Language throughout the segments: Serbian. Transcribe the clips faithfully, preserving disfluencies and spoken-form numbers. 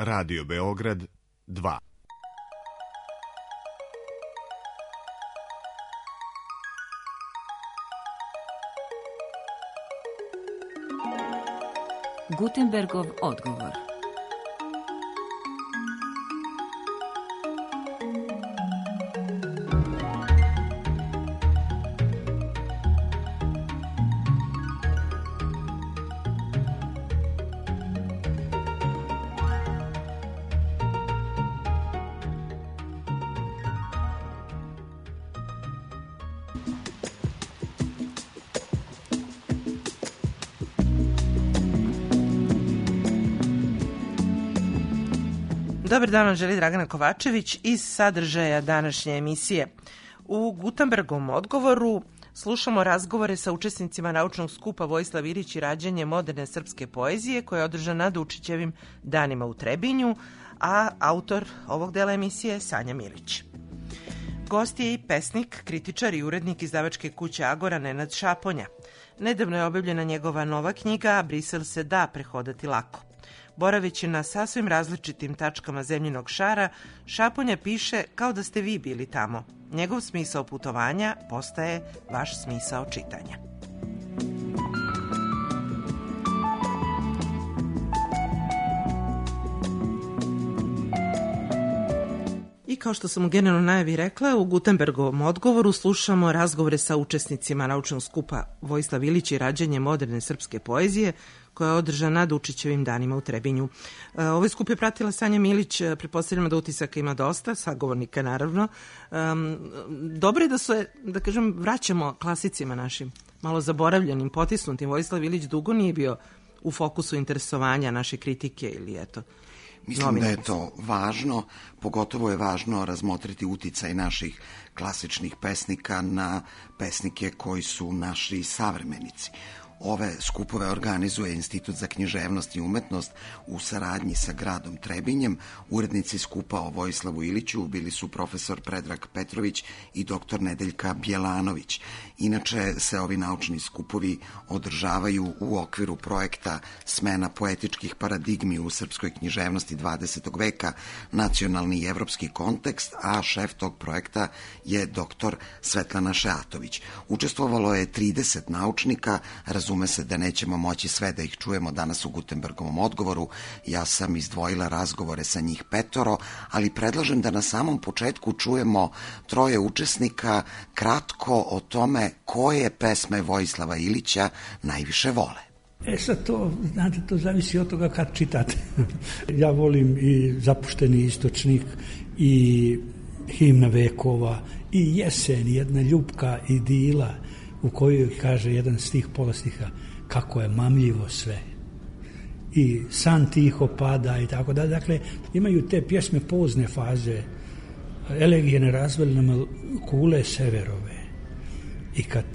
Radio Beograd dva. Gutenbergov odgovor. Dobar dan, vam želi Dragana Kovačević iz sadržaja današnje emisije. U Gutenbergovom odgovoru slušamo razgovore sa učesnicima naučnog skupa Vojislav Ilić i rađanje moderne srpske poezije koja je održana na Dučićevim danima u Trebinju, a autor ovog dela emisije je Sanja Milić. Gost je i pesnik, kritičar i urednik izdavačke kuće Agora Nenad Šaponja. Nedavno je objavljena njegova nova knjiga Brisel se da prehodati lako. Boraveći na sasvim različitim tačkama zemljinog šara, Šaponja piše kao da ste vi bili tamo. Njegov smisao putovanja postaje vaš smisao čitanja. I kao što sam u generalnoj najavi rekla, u Gutenbergovom odgovoru slušamo razgovore sa učesnicima naučnog skupa Vojislav Ilić i rađanje moderne srpske poezije koja je održana na Dučićevim danima u Trebinju. Ovaj skup je pratila Sanja Milić, pretpostavljamo da utisaka ima dosta, sagovornika naravno. Dobro je da se, da kažem, vraćamo klasicima našim, malo zaboravljenim, potisnutim. Vojislav Ilić dugo nije bio u fokusu interesovanja naše kritike ili eto. Mislim da je to važno, pogotovo je važno razmotriti uticaj naših klasičnih pesnika na pesnike koji su naši savremenici. Ove skupove organizuje Institut za književnost i umetnost u saradnji sa gradom Trebinjem. Urednici skupa o Vojislavu Iliću bili su profesor Predrag Petrović i doktor Nedeljka Bjelanović. Inače se ovi naučni skupovi održavaju u okviru projekta Smena poetičkih paradigmi u srpskoj književnosti dvadesetog veka, nacionalni i evropski kontekst, a šef tog projekta je doktor Svetlana Šeatović. Učestvovalo je trideset naučnika, razume se da nećemo moći sve da ih čujemo danas u Gutenbergovom odgovoru. Ja sam izdvojila razgovore sa njih petoro, ali predlažem da na samom početku čujemo troje učesnika kratko o tome koje pesme Vojislava Ilića najviše vole. E sad to, znate, to zavisi od toga kad čitate. Ja volim i Zapušteni istočnik i Himna vekova i Jesen, jedna ljubka idila u kojoj kaže jedan stih, polostiha, kako je mamljivo sve. I san tiho pada i tako da. Dakle, imaju te pjesme pozne faze. Elegije ne razveli nam kule severove. I kad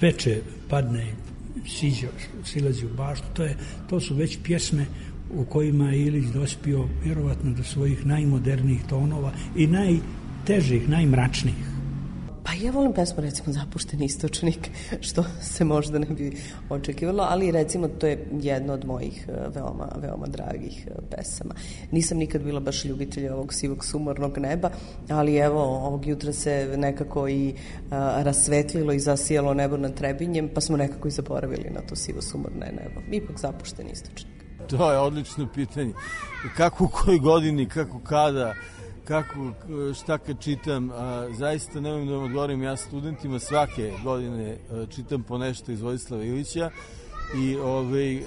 veče padne, siđe, silazi u baštu, to, je, to su već pjesme u kojima je Ilić dospio vjerovatno do svojih najmodernijih tonova i najtežih, najmračnijih. Pa ja volim pesmu, recimo, Zapušteni istočnik, što se možda ne bi očekivalo, ali recimo to je jedna od mojih veoma, veoma dragih pesama. Nisam nikad bila baš ljubitelj ovog sivog sumornog neba, ali evo, ovog jutra se nekako i a, rasvetlilo i zasijalo nebo nad Trebinjem, pa smo nekako i zaboravili na to sivo sumorne nebo. Ipak Zapušteni istočnik. To je odlično pitanje. Kako u kojoj godini, kako kada... Kako, šta kad čitam, a, zaista nemam da vam odgovorim, ja studentima svake godine a, čitam po nešto iz Vojislava Ilića i ove,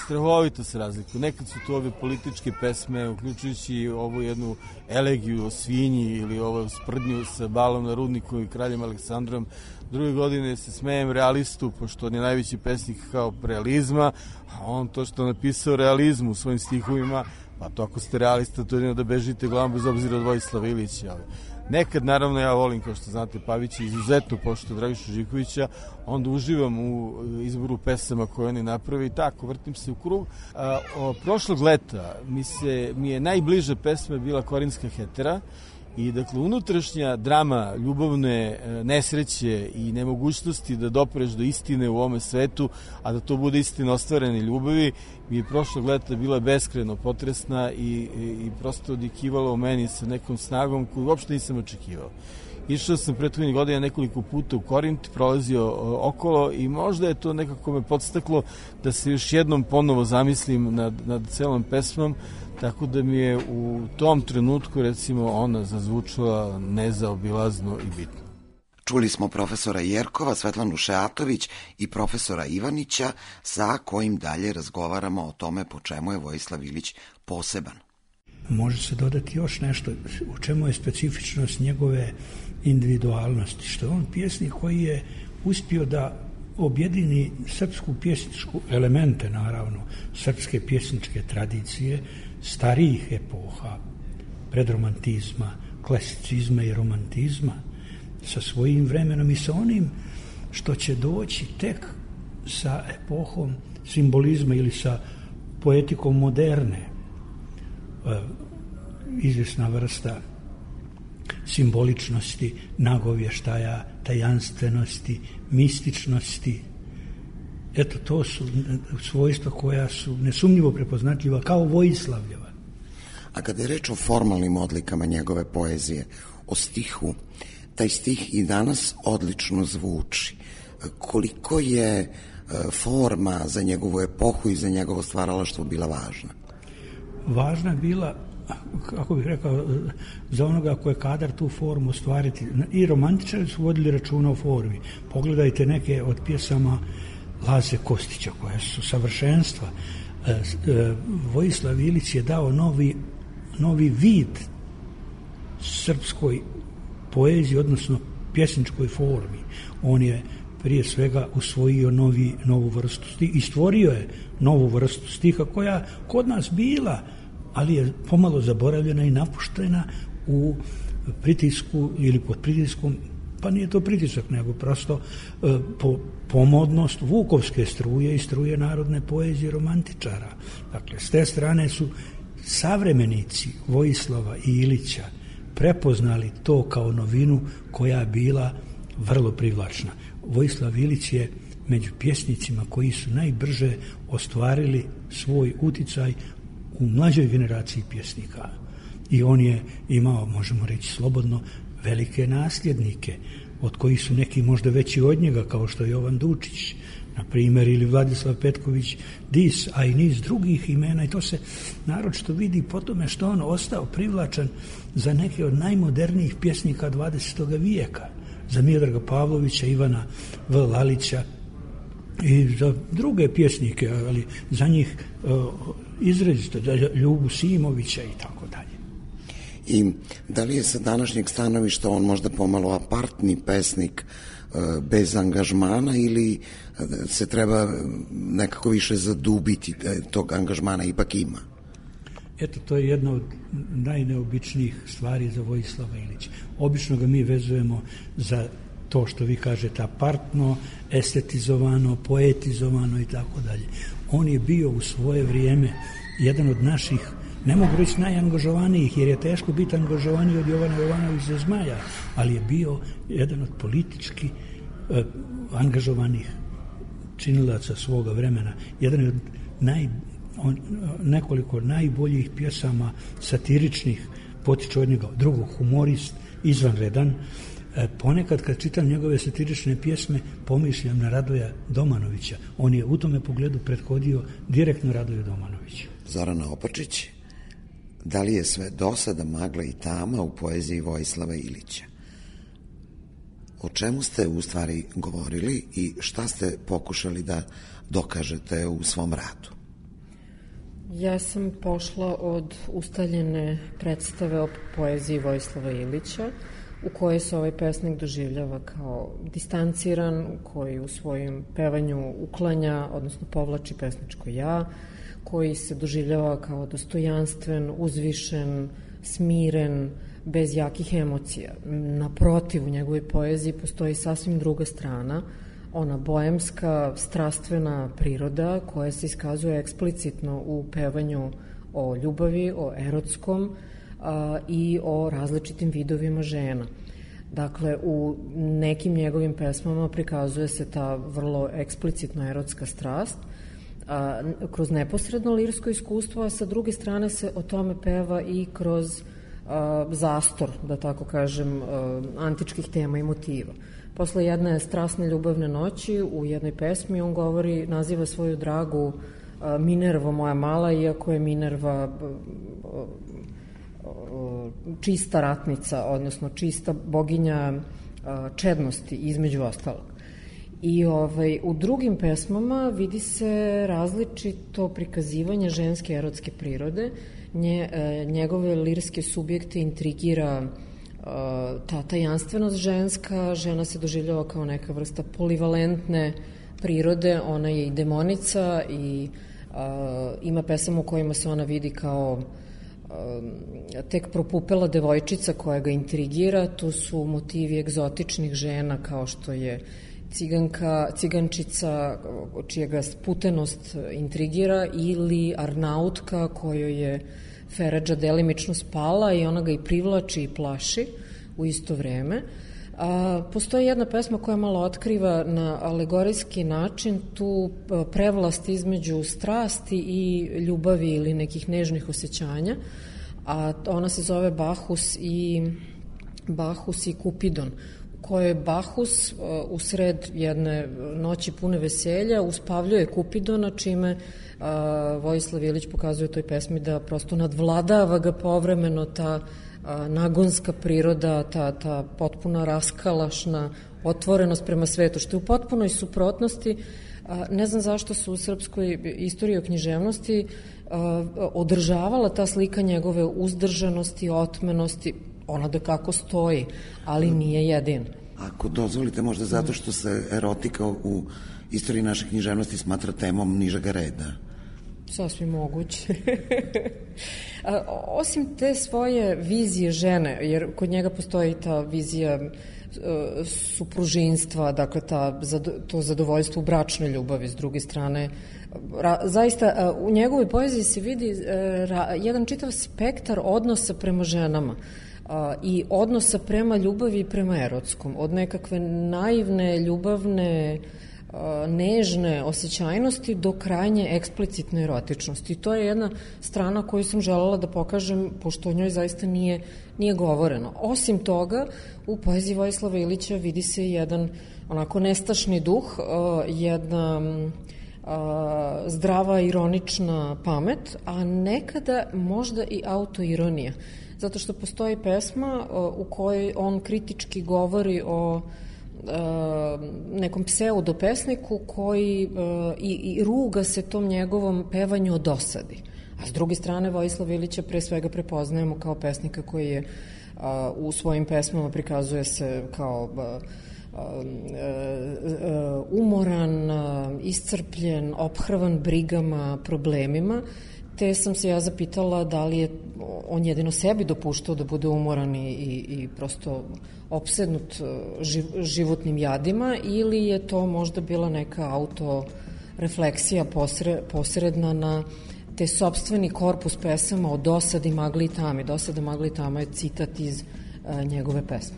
strahovito se razlikuju. Nekad su to ove političke pesme, uključujući ovu jednu elegiju o svinji ili ovu sprdnju sa balom na rudniku i kraljem Aleksandrom. Druge godine se smejem realistu, pošto on je najveći pesnik kao realizma, a on to što je napisao realizmu u svojim stihovima, pa to ako ste realista, to je da bežite glavom bez obzira od Vojislava Ilića. Ali nekad, naravno, ja volim, kao što znate, Pavića izuzetno pošto Dragišu Živkovića, onda uživam u izboru pesama koje oni napravi i tako, vrtim se u krug. A, o, prošlog leta mi, se, mi je najbliža pesma bila Korinska hetera I dakle, unutrašnja drama ljubavne nesreće i nemogućnosti da dopreš do istine u ovome svetu, a da to bude istina ostvarene ljubavi, mi je prošlog leta bila beskrajno potresna i, i, i prosto odjekivala u meni sa nekom snagom koju uopšte nisam očekivao. Išao sam prethodnih godina nekoliko puta u Korint, prolazio okolo i možda je to nekako me podstaklo da se još jednom ponovo zamislim nad, nad celom pesmom, tako da mi je u tom trenutku, recimo, ona zazvučala nezaobilazno i bitno. Čuli smo profesora Jerkova, Svetlanu Šeatović i profesora Ivanića, sa kojim dalje razgovaramo o tome po čemu je Vojislav Ilić poseban. Može se dodati još nešto u čemu je specifičnost njegove individualnosti, što je on pjesnik koji je uspio da objedini srpsku pjesničku elemente, naravno, srpske pjesničke tradicije, starijih epoha, predromantizma, klasicizma i romantizma, sa svojim vremenom i sa onim što će doći tek sa epohom simbolizma ili sa poetikom moderne, izvjesna vrsta simboličnosti, nagovještaja, tajanstvenosti, mističnosti. Eto, to su svojstva koja su nesumnjivo prepoznatljiva kao Vojislavljeva. A kada je reč o formalnim odlikama njegove poezije, o stihu, taj stih i danas odlično zvuči. Koliko je forma za njegovu epohu i za njegovo stvaralaštvo bila važna? Važna je bila, kako bih rekao, za onoga ko je kadar tu formu ostvariti. I romantičari su vodili računa o formi. Pogledajte neke od pjesama Laze Kostića, koje su savršenstva. Vojislav Ilić je dao novi, novi vid srpskoj poeziji, odnosno pjesničkoj formi. On je prije svega usvojio novi, novu vrstu stiha i stvorio je novu vrstu stiha koja kod nas bila, ali je pomalo zaboravljena i napuštena u pritisku ili pod pritiskom, pa nije to pritisak, nego prosto e, po, pomodnost vukovske struje i struje narodne poezije romantičara. Dakle, s te strane su savremenici Vojislava i Ilića prepoznali to kao novinu koja je bila vrlo privlačna. Vojislav Ilić je među pjesnicima koji su najbrže ostvarili svoj uticaj u mlađoj generaciji pjesnika. I on je imao, možemo reći slobodno, velike nasljednike, od kojih su neki možda veći od njega, kao što je Jovan Dučić, na primjer, ili Vladislav Petković Dis, a i niz drugih imena, i to se naročito vidi po tome što on ostao privlačan za neke od najmodernijih pjesnika dvadesetog vijeka, za Miodraga Pavlovića, Ivana V. Lalića i za druge pjesnike, ali za njih uh, izrazito, za Ljubu Simovića i tako dalje. I da li je sa današnjeg stanovišta on možda pomalo apartni pesnik uh, bez angažmana, ili se treba nekako više zadubiti, tog angažmana ipak ima? Eto, to je jedna od najneobičnijih stvari za Vojislava Ilića. Obično ga mi vezujemo za to što vi kažete apartno, estetizovano, poetizovano i tako dalje. On je bio u svoje vrijeme jedan od naših, ne mogu reći najangažovanijih, jer je teško biti angažovaniji od Jovana Jovanovića Zmaja, ali je bio jedan od politički eh, angažovanih činilaca svoga vremena. Jedan od naj, on, nekoliko najboljih pjesama satiričnih potiče od njega. Drugog, humorist, izvanredan. E, ponekad kad čitam njegove satirične pjesme pomišljam na Radoja Domanovića. On je u tome pogledu prethodio direktno Radoju Domanoviću. Zorana Opačić, da li je sve dosada, magla i tama u poeziji Vojislava Ilića? O čemu ste u stvari govorili i šta ste pokušali da dokažete u svom radu? Ja sam pošla od ustaljene predstave o poeziji Vojislava Ilića, u kojoj se ovaj pesnik doživljava kao distanciran, koji u svojim pevanju uklanja, odnosno povlači pesničko ja, koji se doživljava kao dostojanstven, uzvišen, smiren, bez jakih emocija. Naprotiv, u njegovoj poeziji postoji sasvim druga strana, ona boemska, strastvena priroda koja se iskazuje eksplicitno u pevanju o ljubavi, o erotskom, i o različitim vidovima žena. Dakle, u nekim njegovim pesmama prikazuje se ta vrlo eksplicitna erotska strast a, kroz neposredno lirsko iskustvo, a sa druge strane se o tome peva i kroz a, zastor, da tako kažem, a, antičkih tema i motiva. Posle jedne strasne ljubavne noći u jednoj pesmi on govori, naziva svoju dragu a, Minervo moja mala, iako je Minerva a, a, čista ratnica, odnosno čista boginja čednosti, između ostalog. I ovaj, u drugim pesmama vidi se različito prikazivanje ženske erotske prirode. Nje, njegove lirske subjekte intrigira ta tajanstvenost ženska, žena se doživljava kao neka vrsta polivalentne prirode, ona je i demonica i a, ima pesama u kojima se ona vidi kao tek propupela devojčica koja ga intrigira. Tu su motivi egzotičnih žena kao što je ciganka, cigančica čija ga sputenost intrigira ili arnautka kojoj je Feradža delimično spala i ona ga i privlači i plaši u isto vreme. A, postoji jedna pesma koja malo otkriva na alegorijski način tu prevlast između strasti i ljubavi ili nekih nežnih osjećanja, a ona se zove Bahus i Bahus i Kupidon, u kojoj Bahus uh, u sred jedne noći pune veselja uspavljuje Kupidona, čime uh, Vojislav Ilić pokazuje u toj pesmi da prosto nadvladava ga povremeno ta nagonska priroda, ta, ta potpuna raskalašna otvorenost prema svetu, što je u potpunoj suprotnosti. Ne znam zašto se u srpskoj istoriji o književnosti održavala ta slika njegove uzdržanosti, otmenosti, ona da kako stoji, ali nije jedin. Ako dozvolite, možda zato što se erotika u istoriji naše književnosti smatra temom nižega reda. Sasvim moguće. Osim te svoje vizije žene, jer kod njega postoji ta vizija supružinstva, dakle ta, to zadovoljstvo u bračnoj ljubavi, s druge strane, ra, zaista u njegovoj poeziji se vidi ra, jedan čitav spektar odnosa prema ženama a, i odnosa prema ljubavi i prema erotskom, od nekakve naivne, ljubavne, nežne osjećajnosti do krajnje eksplicitne erotičnosti. I to je jedna strana koju sam želela da pokažem, pošto o njoj zaista nije, nije govoreno. Osim toga, u poeziji Vojislava Ilića vidi se jedan onako nestašni duh, jedna zdrava, ironična pamet, a nekada možda i autoironija. Zato što postoji pesma u kojoj on kritički govori o nekom pseudopesniku koji i, i ruga se tom njegovom pevanju o dosadi. A s druge strane, Vojislav Ilića pre svega prepoznajemo kao pesnika koji je a, u svojim pesmama prikazuje se kao a, a, a, umoran, a, iscrpljen, ophrvan brigama, problemima, te sam se ja zapitala da li je on jedino sebi dopuštao da bude umoran i, i, i prosto opsednut živ, životnim jadima, ili je to možda bila neka autorefleksija posre, posredna na te sopstveni korpus pesama o dosadi, magli i tami. Dosada, magli i tama je citat iz a, njegove pesme.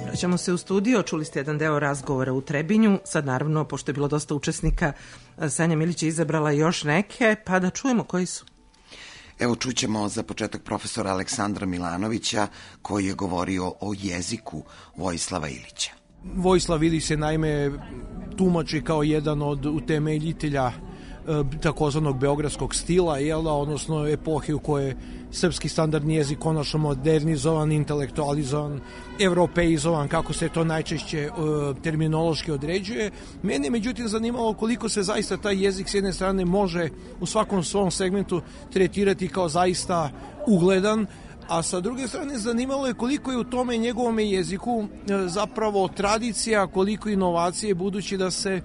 Vraćamo se u studio, čuli ste jedan deo razgovora u Trebinju, sad naravno, pošto je bilo dosta učesnika, Sanja Milić je izabrala još neke, pa da čujemo koji su. Evo čućemo za početak profesora Aleksandra Milanovića koji je govorio o jeziku Vojislava Ilića. Vojislav Ilić se naime tumači kao jedan od utemeljitelja takozvanog beogradskog stila, jel, odnosno epohe u kojoj je srpski standardni jezik konačno modernizovan, intelektualizovan, evropeizovan, kako se to najčešće uh, terminološki određuje. Mene međutim zanimalo koliko se zaista taj jezik s jedne strane može u svakom svom segmentu tretirati kao zaista ugledan, a sa druge strane zanimalo je koliko je u tome njegovome jeziku zapravo tradicija, koliko inovacije, budući da se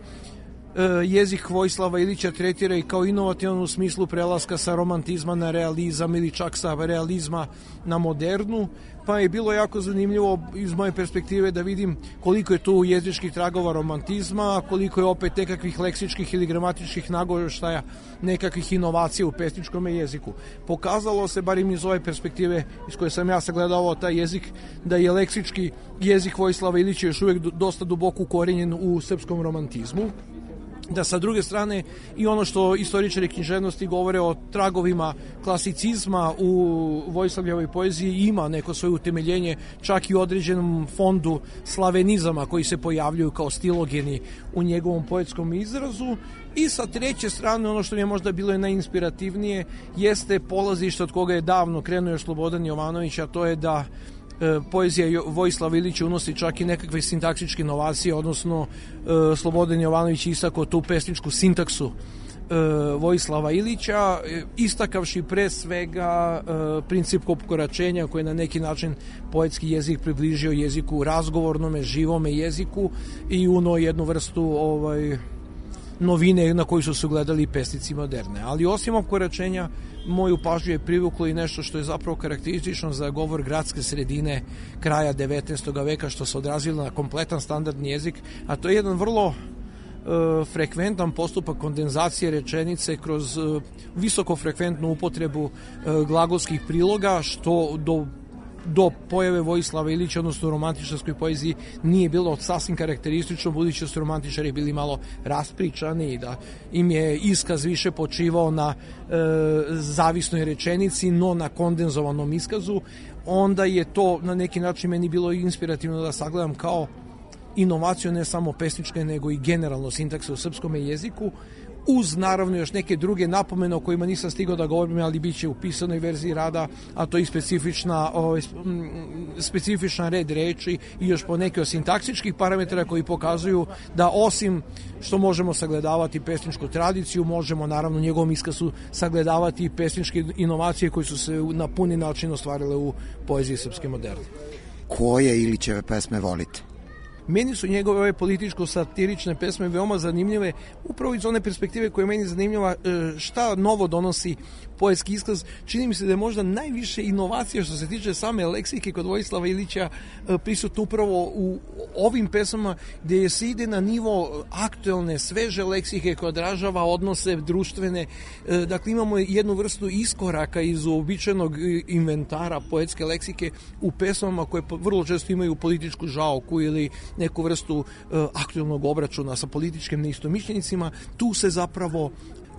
jezik Vojislava Ilića tretira i kao inovativan u smislu prelaska sa romantizma na realizam ili čak sa realizma na modernu, pa je bilo jako zanimljivo iz moje perspektive da vidim koliko je tu jezičkih tragova romantizma, koliko je opet nekakvih leksičkih ili gramatičkih nagoveštaja, nekakvih inovacija u pesničkom jeziku. Pokazalo se, bar iz ove perspektive iz koje sam ja sagledavao taj jezik, da je leksički jezik Vojislava Ilića još uvijek dosta duboko ukorenjen u srpskom romantizmu, da sa druge strane i ono što istoričari književnosti govore o tragovima klasicizma u Vojislavljevoj poeziji ima neko svoje utemeljenje čak i u određenom fondu slavenizama koji se pojavljuju kao stilogeni u njegovom poetskom izrazu. I sa treće strane, ono što mi je možda bilo najinspirativnije jeste polazište od koga je davno krenuo još Slobodan Jovanović, a to je da poezija Vojislava Ilića unosi čak i nekakve sintaksičke inovacije, odnosno Slobodan Jovanović istakao tu pesničku sintaksu Vojislava Ilića, istakavši pre svega princip kokoračenja koji je na neki način poetski jezik približio jeziku razgovornome, živome jeziku i uno jednu vrstu ovaj, novine na koju su se ugledali pesnici moderne. Ali osim opkoračenja, moju pažnju je privuklo i nešto što je zapravo karakteristično za govor gradske sredine kraja devetnaestog veka, što se odrazilo na kompletan standardni jezik, a to je jedan vrlo e, frekventan postupak kondenzacije rečenice kroz e, visokofrekventnu upotrebu e, glagolskih priloga, što do do pojave Vojislava Ilića, odnosno u romantičarskoj poeziji, nije bilo sasvim karakteristično, budući da su romantičari bili malo raspričani i da im je iskaz više počivao na e, zavisnoj rečenici, no na kondenzovanom iskazu. Onda je to na neki način meni bilo inspirativno da sagledam kao inovaciju ne samo pesničke, nego i generalno sintakse u srpskom jeziku, uz naravno još neke druge napomene o kojima nisam stigao da govorim, ali bit će u pisanoj verziji rada, a to je specifična, o, specifična red reči i još po neke od sintaksičkih parametara koji pokazuju da osim što možemo sagledavati pesničku tradiciju, možemo naravno u njegovom iskazu sagledavati pesničke inovacije koje su se na puni način ostvarile u poeziji srpske moderne. Koje Ilićeve pesme volite? Meni su njegove ove političko-satirične pesme veoma zanimljive, upravo iz one perspektive koja je meni zanimljiva, šta novo donosi poetski iskaz. Čini mi se da je možda najviše inovacija što se tiče same leksike kod Vojislava Ilića prisutno upravo u ovim pesmama, gde se ide na nivo aktuelne, sveže leksike koja odražava odnose društvene. Dakle, imamo jednu vrstu iskoraka iz uobičajenog inventara poetske leksike u pesmama koje vrlo često imaju političku žaoku ili neku vrstu uh, aktualnog obračuna sa političkim neistomišljenicima. Tu se zapravo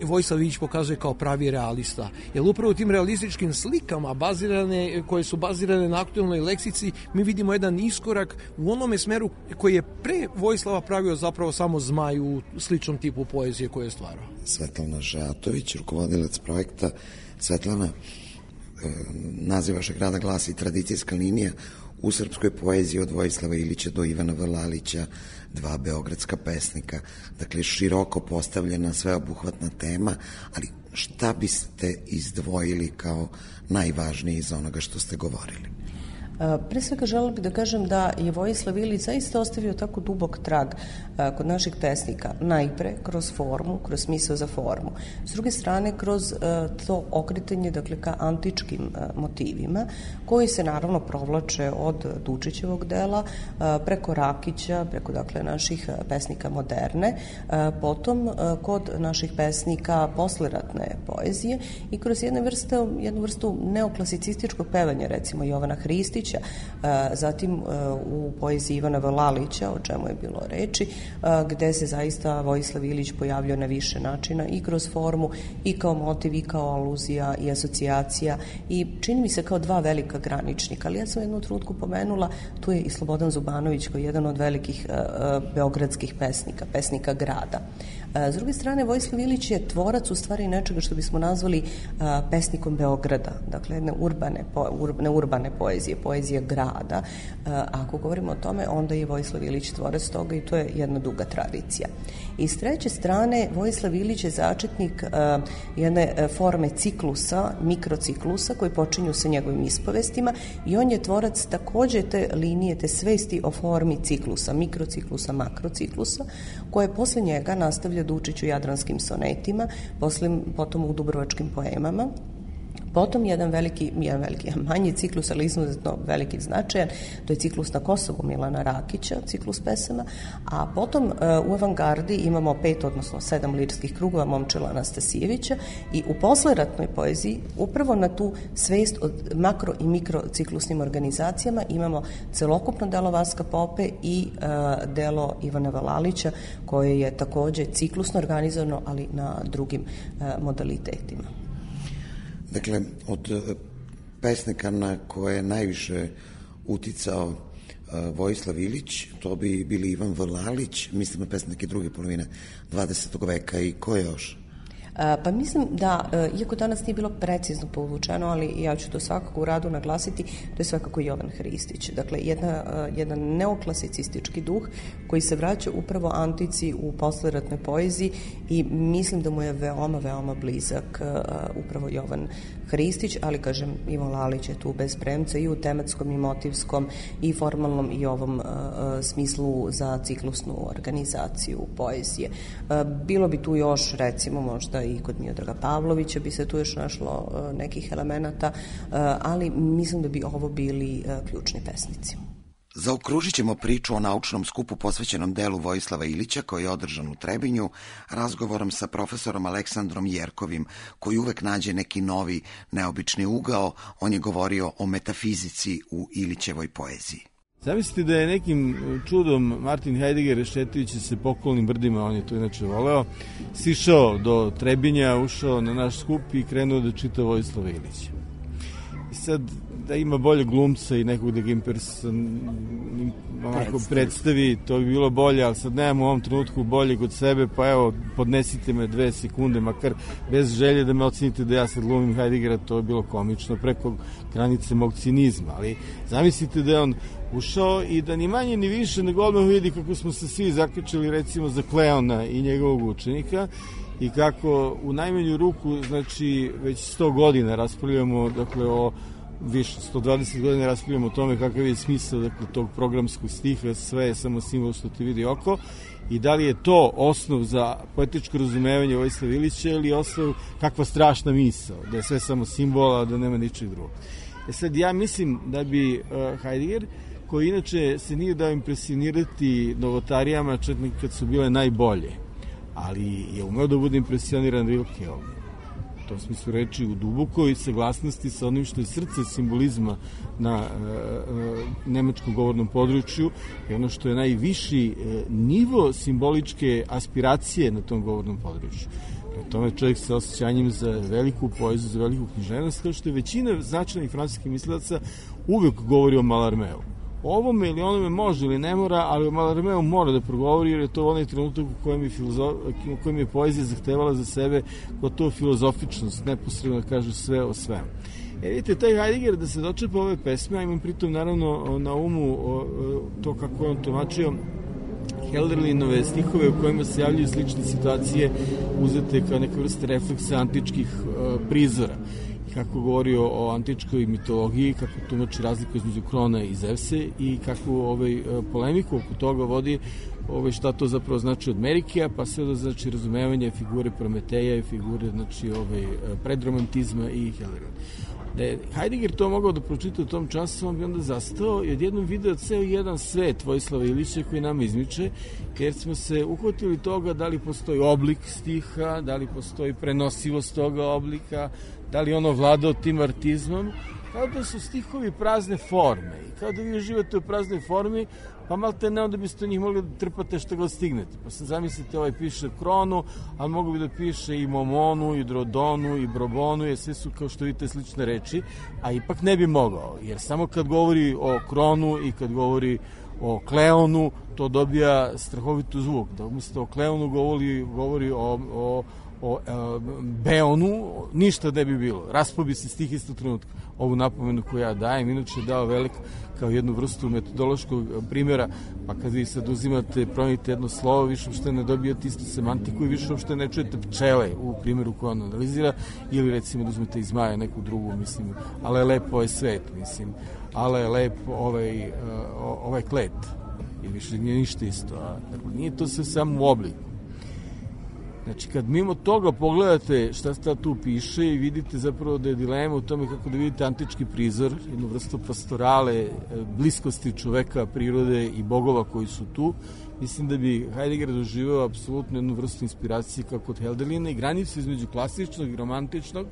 Vojislav Ilić pokazuje kao pravi realista. Jer upravo u tim realističkim slikama bazirane, koje su bazirane na aktualnoj leksici, mi vidimo jedan iskorak u onome smeru koji je pre Vojislava pravio zapravo samo Zmaj u sličnom tipu poezije koje je stvarao. Svetlana Žatović, rukovodilac projekta. Svetlana, e, naziv vašeg rada glasi Tradicijska linija u srpskoj poeziji od Vojislava Ilića do Ivana Vlalića, dva beogradska pesnika. Dakle, široko postavljena, sveobuhvatna tema, ali šta biste izdvojili kao najvažnije iz onoga što ste govorili? Pre svega želela bih da kažem da je Vojislav Ilić zaista ostavio tako dubok trag kod naših pesnika, najpre kroz formu, kroz smisao za formu. S druge strane, kroz to okretanje, dakle, ka antičkim motivima, koji se naravno provlače od Dučićevog dela, preko Rakića, preko, dakle, naših pesnika moderne, potom kod naših pesnika posleratne poezije i kroz jednu vrstu, jednu vrstu neoklasicističkog pevanja, recimo Jovana Hristića, zatim u poeziji Ivana Vlalića, o čemu je bilo reči, gde se zaista Vojislav Ilić pojavljao na više načina i kroz formu i kao motiv i kao aluzija i asocijacija i čini mi se kao dva velika graničnika, ali ja sam jednu trutku pomenula, tu je i Slobodan Zubanović koji je jedan od velikih beogradskih pesnika, pesnika grada. S druge strane, Vojislav Ilić je tvorac u stvari nečega što bismo nazvali pesnikom Beograda, dakle jedne urbane, ne urbane poezije, poezije grada. Ako govorimo o tome, onda je Vojislav Ilić tvorac toga i to je jedna duga tradicija. I s treće strane, Vojislav Ilić je začetnik jedne forme ciklusa, mikrociklusa koji počinju sa njegovim ispovestima i on je tvorac takođe te linije, te svesti o formi ciklusa, mikrociklusa, makrociklusa, koje posle njega nastavlja Đurđe Dučić u Jadranskim sonetima, poslim, potom u Dubrovačkim poemama. Potom jedan veliki, jedan veliki, manji ciklus, ali izuzetno veliki značajan, to je ciklus na Kosovu Milana Rakića, ciklus pesama, a potom u avangardi imamo pet, odnosno sedam lirskih krugova Momčila Anastasijevića i u posleratnoj poeziji upravo na tu svest od makro i mikro ciklusnim organizacijama imamo celokupno delo Vaska Pope i uh, delo Ivana Valalića, koje je takođe ciklusno organizovano, ali na drugim uh, modalitetima. Dakle, od pesnika na koje je najviše uticao uh, Vojislav Ilić, to bi bili Ivan Valalić, mislim na pesnike druge polovine dvadesetog veka, i ko još? Pa mislim da, iako danas nije bilo precizno povučeno, ali ja ću to svakako u radu naglasiti, to je svakako Jovan Hristić. Dakle, jedna, jedan neoklasicistički duh koji se vraća upravo antici u posleratnoj poeziji i mislim da mu je veoma, veoma blizak upravo Jovan Hristić, ali kažem, Ivan Lalić je tu bez premca i u tematskom i motivskom i formalnom i ovom uh, smislu za ciklusnu organizaciju poezije. Uh, bilo bi tu još, recimo, možda i kod Miodraga Pavlovića bi se tu još našlo uh, nekih elemenata, uh, ali mislim da bi ovo bili uh, ključni pesnici. Zaokružit ćemo priču o naučnom skupu posvećenom delu Vojislava Ilića koji je održan u Trebinju razgovorom sa profesorom Aleksandrom Jerkovim, koji uvek nađe neki novi, neobični ugao. On je govorio o metafizici u Ilićevoj poeziji. Zamislite da je nekim čudom Martin Heidegger, šetajući se pokolnim brdima, on je to inače voleo, sišao do Trebinja, ušao na naš skup i krenuo da čita Vojislava Ilića. I sad, da ima bolje glumca i nekog da ga imperson, onako predstavi, to bi bilo bolje, ali sad nemam u ovom trenutku bolje kod sebe, pa evo, podnesite me dve sekunde, makar bez želje da me ocenite da ja sad glumim Heideggera, to je bilo komično, preko granice mog cinizma, ali zamislite da je on ušao i da ni manje ni više nego odmah vidi kako smo se svi zakačili recimo za Kleona i njegovog učenika, i kako u najmanju ruku, znači, već sto godina raspravljamo, dakle, o više, sto dvadeset godina raspravljamo o tome kakav je smisao, dakle, tog programskog stiha, sve je samo simbol što te vidi oko, i da li je to osnov za poetičko razumevanje Vojislava Ilića ili osnov kakva strašna misao, da je sve samo simbola, da nema ničeg drugog. E sad, ja mislim da bi uh, Heidegger, koji inače se nije dao impresionirati novotarijama, čak kad su bile najbolje, ali je umeo da bude impresioniran Rilkeom. U tom smislu reči u dubokoj saglasnosti sa onim što je srce simbolizma na e, e, nemačkom govornom području i ono što je najviši e, nivo simboličke aspiracije na tom govornom području. Na tome čovjek sa osjećanjem za veliku poeziju, za veliku književnost, kao što je većina značajnih francuskih mislilaca uvek govori o Mallarmeu. O ovome ili onome može ili ne mora, ali o Mallarmeu mora da progovori, jer je to onaj trenutak u kojem je, filozof, u kojem je poezija zahtevala za sebe gotovo filozofičnost, neposredno da kaže sve o svemu. E vidite, taj Heidegger da se dočepa ove pesme, a imam pritom naravno na umu o, to kako on tumačio Helderlinove stihove u kojima se javljaju slične situacije uzete kao neka vrsta refleksa antičkih uh, prizora. Kako govori o antičkoj mitologiji, kako tumači razliku između Krona i Zevse i kako ovaj, polemiku oko toga vodi ovaj, šta to zapravo znači od Merikija, pa sve da znači razumevanje figure Prometeja i figure znači, ovaj, predromantizma i Helderlina. Da je Heidegger to mogao da pročita u tom času, on bi onda zastao i odjednom video ceo jedan svet Vojislava Ilića koji nama izmiče, jer smo se uhvatili toga da li postoji oblik stiha, da li postoji prenosivost toga oblika, da li ono vladao tim artizmom, kao da su stihovi prazne forme i kao da vi uživate u praznoj formi, pa malte ne onda biste njih mogli da trpate što god stignete. Pa sad zamislite, ovaj piše Kronu, ali mogu bi da piše i Momonu, i Drodonu, i Brobonu, jer sve su kao što vidite slične reči, a ipak ne bi mogao, jer samo kad govori o Kronu i kad govori o Kleonu, to dobija strahovitu zvuk. Da umjesto o Kleonu govori, govori o, o o e, Beonu, ništa ne bi bilo. Raspao bi se stih isto trenutka. Ovu napomenu koju ja dajem, inače je dao velik kao jednu vrstu metodološkog primjera, pa kad vi sad uzimate, promenite jedno slovo, više uopšte ne dobijate istu semantiku i više uopšte ne čujete pčele u primjeru koju on analizira, ili recimo da uzmete iz Maja neku drugu, mislim, ale je lepo ovaj svet, mislim, ale je lep ovaj, ovaj klet. I više nije ništa isto. A, dakle, nije to sve samo u obliku. Znači, kad mimo toga pogledate šta sta tu piše i vidite zapravo da je dilema u tome kako da vidite antički prizor, jednu vrstu pastorale, bliskosti čoveka, prirode i bogova koji su tu, mislim da bi Heidegger doživao apsolutno jednu vrstu inspiracije kao kod Hölderlina i granicu između klasičnog i romantičnog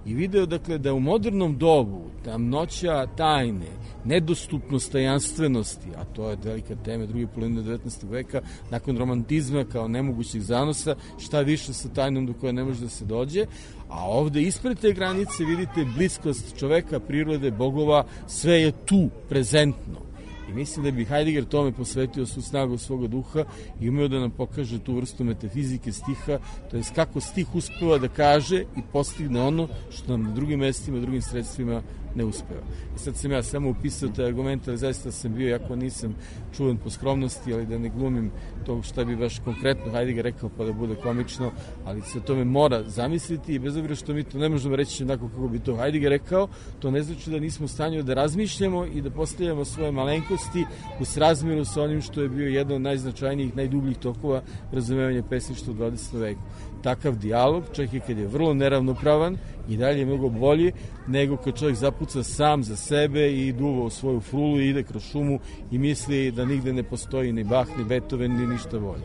i video, dakle, da u modernom dobu tamnoća tajne, nedostupnost tajanstvenosti, a to je velika tema druge polovine devetnaestog veka, nakon romantizma kao nemogućih zanosa, šta više sa tajnom do koje ne može da se dođe, a ovde ispred te granice vidite bliskost čoveka, prirode, bogova, sve je tu, prezentno. I mislim da bi Heidegger tome posvetio svu snagu svoga duha i umeo da nam pokaže tu vrstu metafizike stiha, to je kako stih uspeva da kaže i postigne ono što nam na drugim mestima, drugim sredstvima ne uspeva. I sad sam ja samo upisao taj argument, ali zaista sam bio, jako nisam čuvan po skromnosti, ali da ne glumim to šta bi baš konkretno Heidegger rekao pa da bude komično, ali se o tome mora zamisliti i bez obzira što mi to ne možemo reći onako kako bi to Heidegger rekao, to ne znači da nismo u stanju da razmišljamo i da postavljamo svoje malenkosti u srazmjeru sa onim što je bio jedan od najznačajnijih, najdubljih tokova razumevanja pesništva u dvadesetom veku. Takav dijalog, čak i kad je vrlo neravnopravan i dalje je mnogo bolji nego kad čovjek zapuca sam za sebe i duva u svoju frulu i ide kroz šumu i misli da nigde ne postoji ni Bach, ni Beethoven, ni ništa bolje.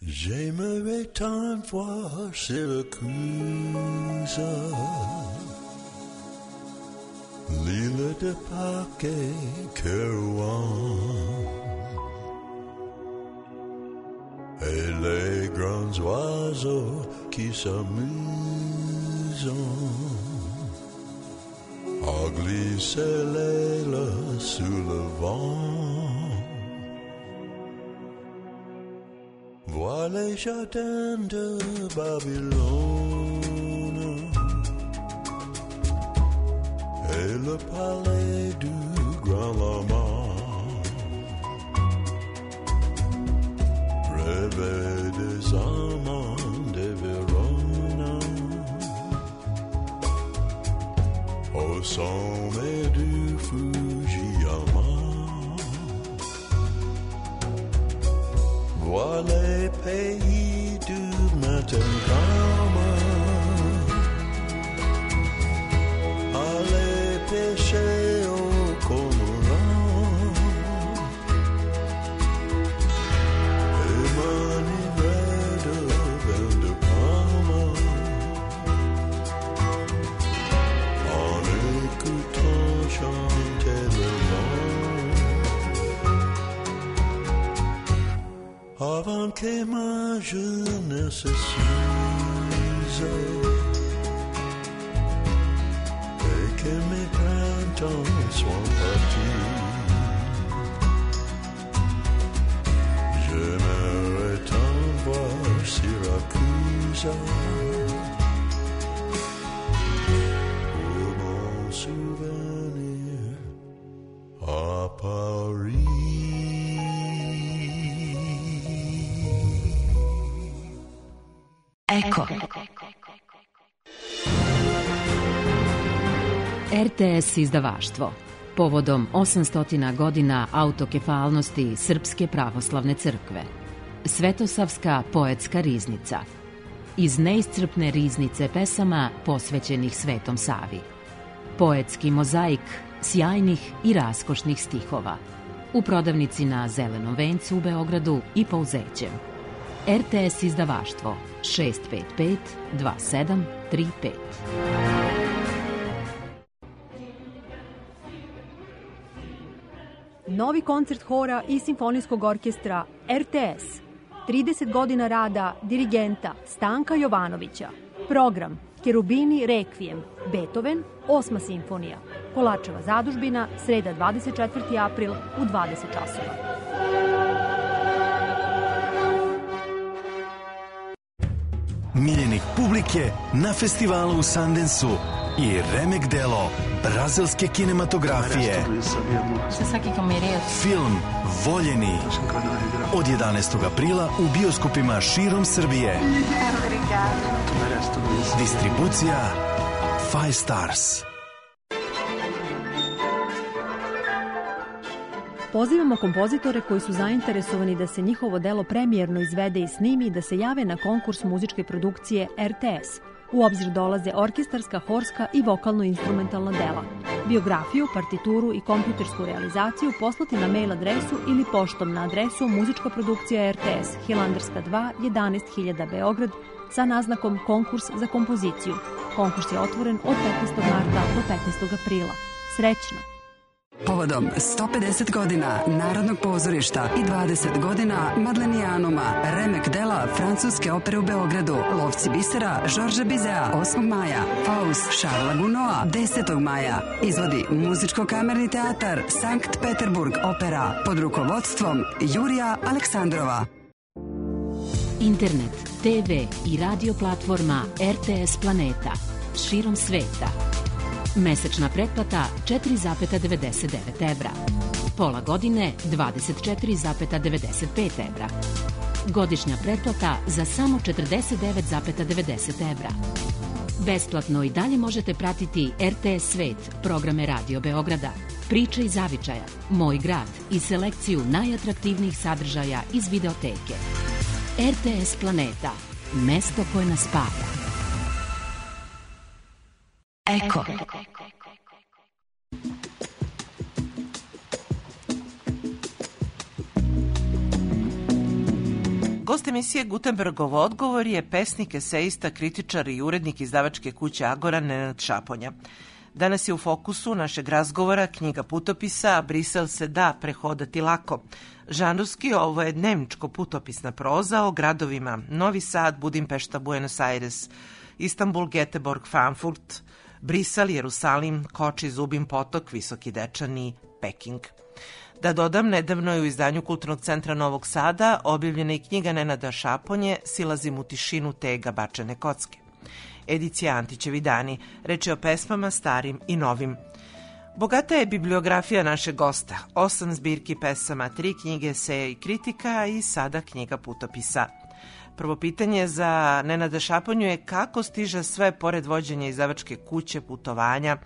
J'aimerais tant voir Syracuse, l'île de Pâques et Kerouan, et les grands oiseaux qui s'amusent à glisser l'aile sous le vent. Vois les jardins de Babylone et le palais du grand lama. Rêver des amants de Verona au sommet du Fujiyama. Vois les pays du matin calme, aller pêcher au cormorant et m'enivrer de vin de Parma en écoutant chanter le vent. Avant que ma jeunesse s'use et que mes printemps soient partis, j'aimerais tant voir Syracuse pour mon souvenir à Paris. Eko. R T S izdavaštvo. Povodom osamstotina godina autokefalnosti Srpske pravoslavne crkve. Svetosavska poetska riznica. Iz neiscrpne riznice pesama posvećenih Svetom Savi. Poetski mozaik sjajnih i raskošnih stihova. U prodavnici na Zelenom vencu u Beogradu i Pouzećem. R T S izdavaštvo šest pet pet dva sedam tri pet. Novi koncert hora i simfonijskog orkestra R T S. trideset godina rada dirigenta Stanka Jovanovića. Program Kerubini Rekvijem, Beethoven, osma simfonija. Kolačeva zadužbina, sreda dvadeset četvrti april u dvadeset časova. Miljenik publike na festivalu u Sundanceu i remek delo brazilske kinematografije. Film Voljeni od jedanaestog aprila u bioskopima širom Srbije. Distribucija Five Stars. Pozivamo kompozitore koji su zainteresovani da se njihovo delo premijerno izvede i snimi da se jave na konkurs muzičke produkcije R T S. U obzir dolaze orkestarska, horska i vokalno-instrumentalna dela. Biografiju, partituru i kompjutersku realizaciju poslati na mail adresu ili poštom na adresu muzička produkcija R T S, Hilandarska dva, jedanaest hiljada Beograd, sa naznakom konkurs za kompoziciju. Konkurs je otvoren od petnaestog marta do petnaestog aprila. Srećno! Povodom sto pedeset godina Narodnog pozorišta i dvadeset godina Madlenijanuma, remek dela Francuske opere u Beogradu, Lovci bisera Žorža Bizea osmog maja, Faust Šarla Gunoa desetog maja, izvodi Muzičko-kamerni teatar Sankt Peterburg opera pod rukovodstvom Jurija Aleksandrova. Internet, te ve i radio platforma R T S Planeta širom sveta. Mesečna pretplata četiri zarez devedeset devet evra. Pola godine dvadeset četiri zarez devedeset pet evra. Godišnja pretplata za samo četrdeset devet zarez devedeset evra. Besplatno i dalje možete pratiti R T S Svet, programe Radio Beograda, Priče iz zavičaja, Moj grad i selekciju najatraktivnijih sadržaja iz videoteke. R T S Planeta, mesto koje nas spaja. Eko. Gost emisije Gutenbergov odgovor je pesnik, esejista, kritičar i urednik izdavačke kuće Agora Nenad Šaponja. Danas je u fokusu našeg razgovora knjiga putopisa Brisel se da prehodati lako. Žanrovski ovo je dnevničko putopisna proza o gradovima Novi Sad, Budimpešta, Buenos Aires, Istanbul, Göteborg, Frankfurt, Brisel, Jerusalim, Koči, Zubin Potok, Visoki Dečani, Peking. Da dodam, nedavno je u izdanju Kulturnog centra Novog Sada objavljena i knjiga Nenada Šaponje Silazim u tišinu tega bačene kocke. Edicija Antićevi dani, reč je o pesmama starim i novim. Bogata je bibliografija našeg gosta, osam zbirki pesama, tri knjige eseja i kritika i sada knjiga putopisa. Prvo pitanje za Nenada Šaponju je kako stiže sve pored vođenja izdavačke kuće, putovanja.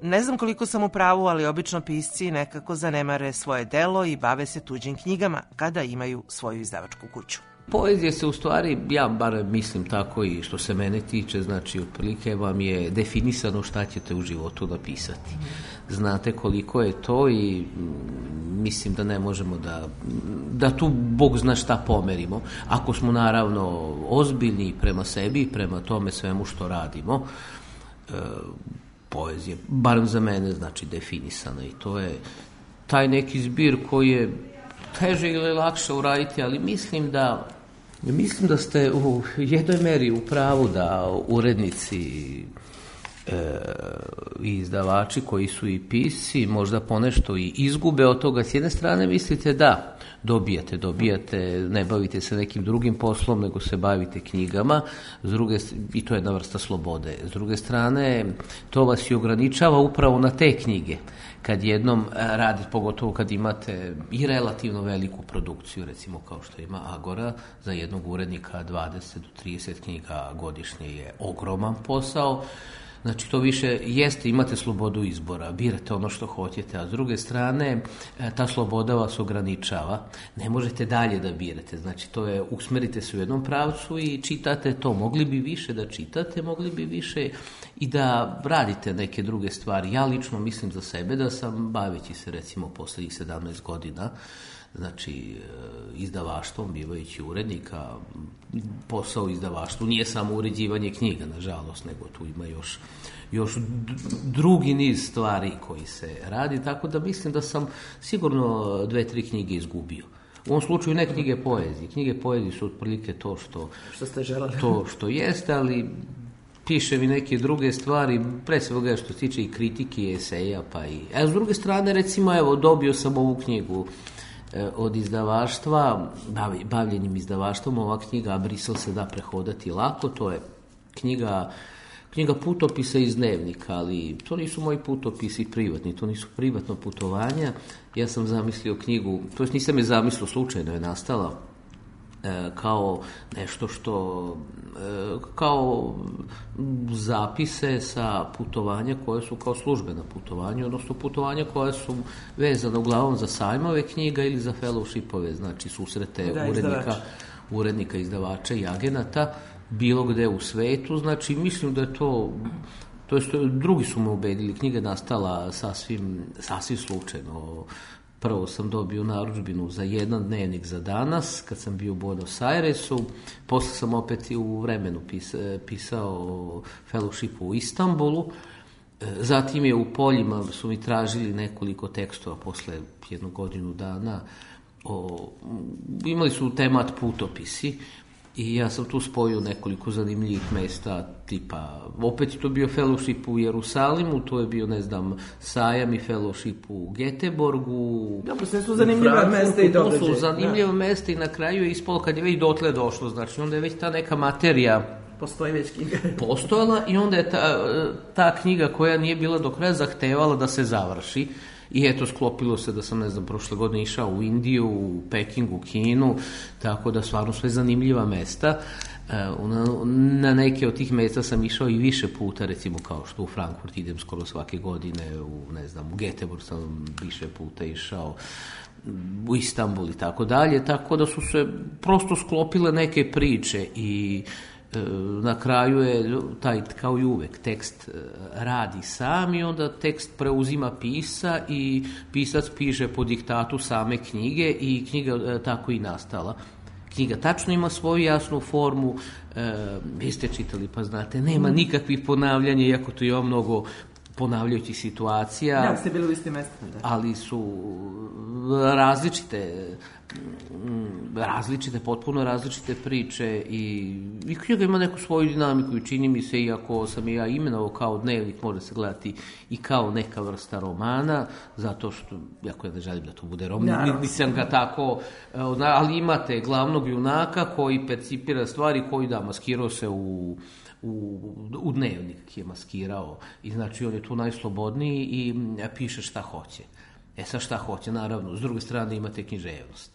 Ne znam koliko sam u pravu, ali obično pisci nekako zanemare svoje delo i bave se tuđim knjigama kada imaju svoju izdavačku kuću. Poezija se u stvari, ja bar mislim tako i što se mene tiče, znači otprilike vam je definisano šta ćete u životu napisati. Znate koliko je to i mislim da ne možemo da, da tu Bog zna šta pomerimo. Ako smo naravno ozbiljni prema sebi i prema tome svemu što radimo, e, poezija, barem za mene, znači definisana i to je taj neki zbir koji je teže ili lakše uraditi, ali mislim da mislim da ste u jednoj meri u pravu da urednici e, i izdavači koji su i pisci možda ponešto i izgube od toga. S jedne strane mislite da dobijate, dobijate, ne bavite se nekim drugim poslom, nego se bavite knjigama, s druge, i to je jedna vrsta slobode. S druge strane, to vas i ograničava upravo na te knjige. Kad jednom radi, pogotovo kad imate i relativno veliku produkciju, recimo kao što ima Agora, za jednog urednika dvadeset do trideset knjiga godišnje je ogroman posao. Znači to više jeste, imate slobodu izbora, birate ono što hoćete, a s druge strane ta sloboda vas ograničava, ne možete dalje da birate, znači to je, usmerite se u jednom pravcu i čitate to, mogli bi više da čitate, mogli bi više i da radite neke druge stvari. Ja lično mislim za sebe da sam, baveći se recimo posljednjih sedamnaest godina, znači izdavaštvom, bivajući urednika, posao izdavaštvu nije samo uređivanje knjiga, nažalost, nego tu ima još, još drugi niz stvari koji se radi, tako da mislim da sam sigurno dve, tri knjige izgubio. U ovom slučaju ne knjige poezije. Knjige poezije su otprilike to što, što ste želeli. To što jeste, ali piše mi neke druge stvari, pre svega što se tiče i kritike i eseja, pa i... A s druge strane, recimo, evo, dobio sam ovu knjigu od izdavaštva, bavljenim izdavaštvom, ova knjiga Brisel se da prehodati lako, to je knjiga, knjiga putopisa iz dnevnika, ali to nisu moji putopisi privatni, to nisu privatno putovanja. Ja sam zamislio knjigu, to jest nisam je zamislio, slučajno je nastala, kao nešto što, kao zapise sa putovanja koje su kao službena putovanja, odnosno putovanja koja su vezana uglavnom za sajmove knjiga ili za fellowshipove, znači susrete da, urednika, urednika, izdavača i agenata, bilo gde u svetu, znači mislim da je to, to jest, drugi su me ubedili, knjiga je nastala sasvim, sasvim slučajno. Prvo sam dobio narudžbinu za jedan dnevnik za danas, kad sam bio u Buenos Airesu, posle sam opet i u Vremenu pisao o fellowshipu u Istanbulu, zatim je u Poljima su mi tražili nekoliko tekstova posle jednu godinu dana, o, imali su temat putopisi, i ja sam tu spojio nekoliko zanimljivih mesta, tipa, opet je to bio fellowship u Jerusalimu, to je bio, ne znam, sajam i fellowship u Göteborgu. Dobro, sve su zanimljiva mesta i događaje. To su zanimljiva mesta i na kraju je ispalo kad je već dotle došlo, znači onda je već ta neka materija postoji već knjiga. postojala i onda je ta, ta knjiga koja nije bila do kraja zahtevala da se završi. I eto, sklopilo se da sam, ne znam, prošle godine išao u Indiju, u Pekingu, u Kinu, tako da stvarno sve zanimljiva mesta. Na, na neke od tih mesta sam išao i više puta, recimo kao što u Frankfurt idem skoro svake godine, u, ne znam, u Göteborg sam više puta išao, u Istanbul i tako dalje, tako da su se prosto sklopile neke priče i na kraju je taj, kao i uvek, tekst radi sam i onda tekst preuzima pisa i pisac piše po diktatu same knjige i knjiga tako i nastala. Knjiga tačno ima svoju jasnu formu, e, vi ste čitali pa znate, nema nikakvih ponavljanja, iako tu ima mnogo ponavljajućih situacija. Da, ste bili u istim mestima. Ali su različite, različite, potpuno različite priče i, i knjiga ima neku svoju dinamiku i čini mi se, iako sam i ja imenovao kao dnevnik, može se gledati i kao neka vrsta romana, zato što, jako ja ne želim da to bude roman, nisam ga tako, ali imate glavnog junaka koji percipira stvari, koji da, maskirao se u U, u dnevnik je maskirao i znači on je tu najslobodniji i piše šta hoće. E sad šta hoće, naravno, s druge strane imate književnost.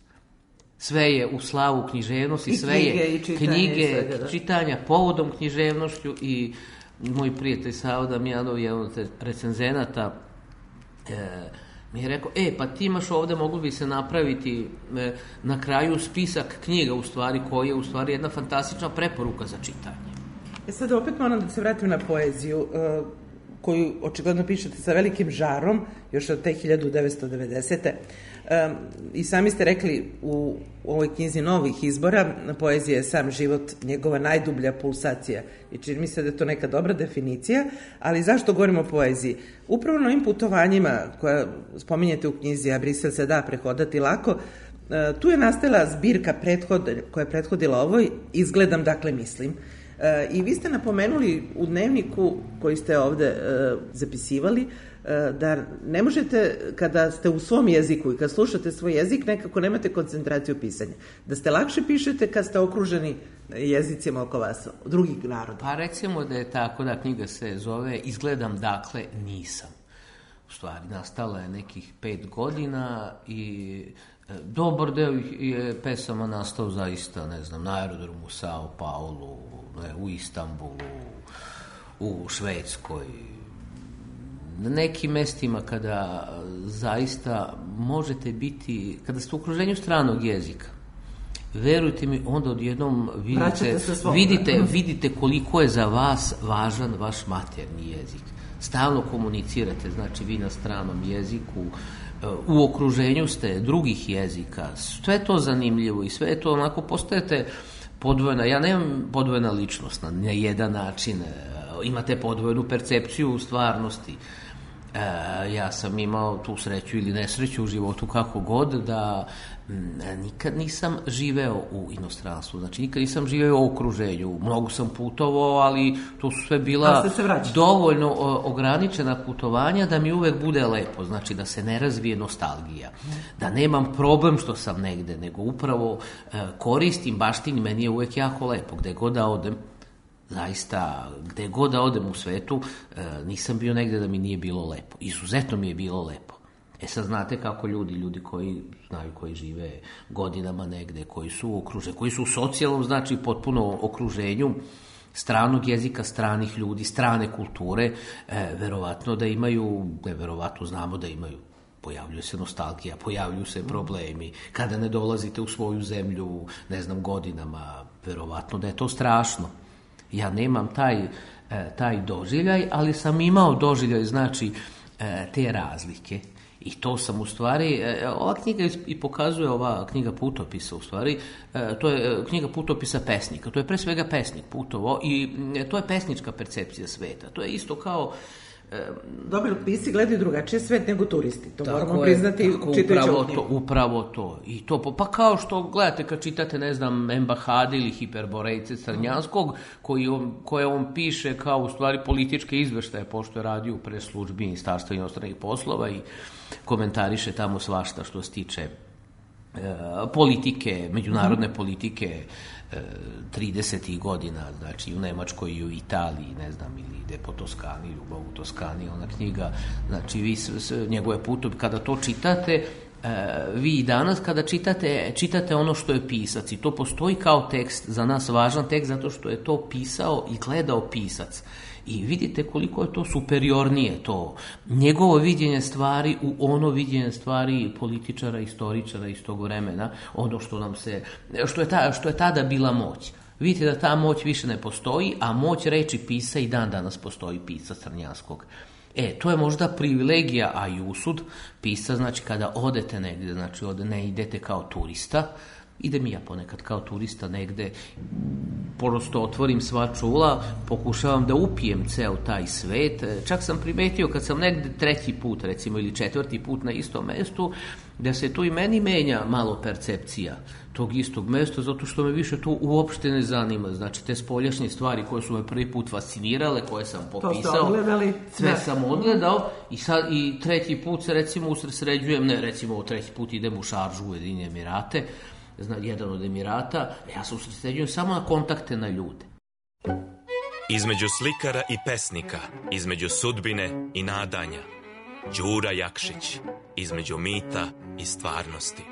Sve je u slavu književnosti, I sve knjige, je i čitanje, knjige, svega, da. čitanja povodom književnošću i moj prijatelj Savo Damjanov, jedan od recenzenata, e, mi je rekao, e, pa ti imaš ovde, moglo bi se napraviti e, na kraju spisak knjiga, u stvari, koji je u stvari jedna fantastična preporuka za čitanje. E sad opet moram da se vratim na poeziju, uh, koju očigledno pišete sa velikim žarom, još od te hiljadu devetsto devedesete. Um, I sami ste rekli u, u ovoj knjizi novih izbora, poezija je sam život, njegova najdublja pulsacija. I čini mi se da je to neka dobra definicija, ali zašto govorimo o poeziji? Upravo na ovim putovanjima koja spominjete u knjizi, a Brisel se da prehodati lako, uh, tu je nastala zbirka prethod, koja je prethodila ovoj, Izgledam, dakle mislim. E, I vi ste napomenuli u dnevniku koji ste ovde e, zapisivali e, da ne možete, kada ste u svom jeziku i kad slušate svoj jezik, nekako nemate koncentraciju pisanja. Da ste lakše pišete kad ste okruženi jezicima oko vas, drugih naroda. Pa recimo da je tako, da knjiga se zove Izgledam, dakle nisam. U stvari, nastala je nekih pet godina i dobar deo je pesama nastao zaista, ne znam, na aerodromu u Sao Paulu, ne, u Istanbulu, u Švedskoj, na nekim mestima kada zaista možete biti, kada ste u okruženju stranog jezika, verujte mi, onda odjednom vidite, vidite, vidite koliko je za vas važan vaš maternji jezik. Stalno komunicirate, znači vi na stranom jeziku, u okruženju ste drugih jezika, sve je to zanimljivo i sve je to onako, postajete podvojena, ja nemam podvojena ličnost na, na jedan način, imate podvojenu percepciju u stvarnosti. E, ja sam imao tu sreću ili nesreću u životu, kako god, da m, nikad nisam živeo u inostranstvu, znači nikad nisam živeo u okruženju, mnogo sam putovao, ali to su sve bila dovoljno o, ograničena putovanja da mi uvek bude lepo, znači da se ne razvije nostalgija, da nemam problem što sam negde, nego upravo e, koristim, baštin, meni je uvek jako lepo, gde god da odem. Zaista, gde god da odem u svetu, nisam bio negde da mi nije bilo lepo. Izuzetno mi je bilo lepo. E sad znate kako ljudi, ljudi koji znaju, koji žive godinama negde, koji su okruženi, koji su u socijalnom, znači potpuno okruženju stranog jezika, stranih ljudi, strane kulture, e, verovatno da imaju, ne verovatno, znamo da imaju, pojavljuje se nostalgija, pojavljuju se problemi, kada ne dolazite u svoju zemlju, ne znam, godinama, verovatno da je to strašno. Ja nemam taj, e, taj doživljaj, ali sam imao doživljaj, znači, e, te razlike. I to sam u stvari, ova knjiga i pokazuje, ova knjiga putopisa u stvari, to je knjiga putopisa pesnika, to je pre svega pesnik putovo i to je pesnička percepcija sveta, to je isto kao... Dobri pisci gledaju drugačije svet nego turisti, to tako moramo je, priznati čitajući ovu knjigu. Upravo to, i to, pa kao što gledate kad čitate, ne znam, Embahade ili Hiperborejce Crnjanskog, koji on, koje on piše kao u stvari političke izveštaje, pošto je radio u preslužbi Ministarstva inostranih poslova i komentariše tamo svašta što se tiče e, politike, međunarodne politike e, tridesetih godina, znači u Nemačkoj i u Italiji, ne znam, ili ide po Toskani, Ljubav u Toskani, ona knjiga, znači vi s, s, njegove putove, kada to čitate, e, vi i danas kada čitate, čitate ono što je pisac i to postoji kao tekst, za nas važan tekst, zato što je to pisao i gledao pisac. I vidite koliko je to superiornije, to njegovo viđenje stvari u ono viđenje stvari političara, istoričara iz tog vremena, ono što nam se, što je, ta, što je tada bila moć. Vidite da ta moć više ne postoji, a moć reči pisa i dan danas postoji, pisa Crnjanskog. E, to je možda privilegija, a i usud pisa, znači kada odete negde, znači ode, ne idete kao turista, idem i ja ponekad kao turista negde, prosto otvorim sva čula, pokušavam da upijem ceo taj svet. Čak sam primetio kad sam negde treći put, recimo, ili četvrti put na istom mestu, da se tu i meni menja malo percepcija tog istog mesta, zato što me više to uopšte ne zanima. Znači, te spoljašnje stvari koje su me prvi put fascinirale, koje sam popisao, sve da. sam odgledao i, sad, i treći put se, recimo, usredsređujem, ne, recimo, treći put idem u Šaržu u Ujedinjene Emirate, zna, jedan od Emirata, ja se usredsređujem samo na kontakte na ljude. Između slikara i pesnika, između sudbine i nadanja, Đura Jakšić, između mita i stvarnosti.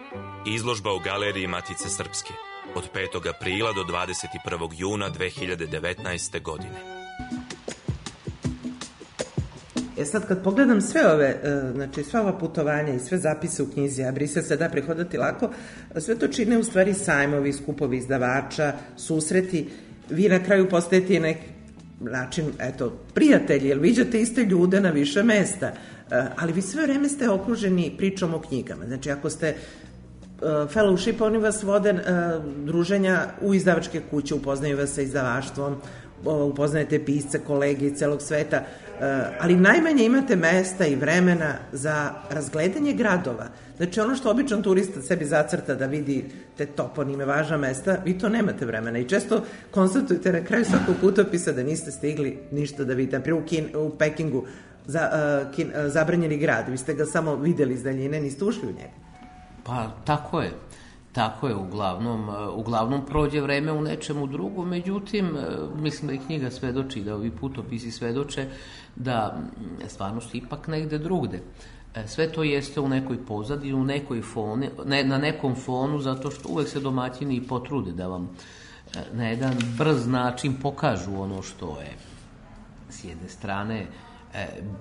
Izložba u Galeriji Matice Srpske od petog aprila do dvadeset prvog juna dve hiljade devetnaeste. godine. E sad kad pogledam sve ove, znači sva ova putovanja i sve zapise u knjizi, a Brisel se da prehodati lako, sve to čine u stvari sajmovi, skupovi izdavača, susreti, vi na kraju postajete neki način, eto, prijatelji, jer viđate iste ljude na više mesta, ali vi sve vreme ste okruženi pričom o knjigama. Znači ako ste fellowship, oni vas vode druženja u izdavačke kuće, upoznaju vas sa izdavaštvom, upoznajete pisce, kolege iz celog sveta, ali najmanje imate mesta i vremena za razgledanje gradova. Znači ono što običan turista sebi zacrta da vidi te toponime, važna mesta, vi to nemate vremena i često konstatujete na kraju svakog putopisa da niste stigli ništa da vidite. Naprijed u, Kin, u Pekingu za, uh, kin, uh, zabranjeni grad, vi ste ga samo videli iz daljine, niste ušli u njega. Pa tako je. Tako je, uglavnom, uglavnom prođe vreme u nečemu drugom, međutim, mislim da i knjiga svedoči, da ovi putopisi svedoče da stvarno su ipak negde drugde. Sve to jeste u nekoj pozadini, u nekoj foni, ne, na nekom fonu, zato što uvek se domaćini i potrude da vam na jedan brz način pokažu ono što je s jedne strane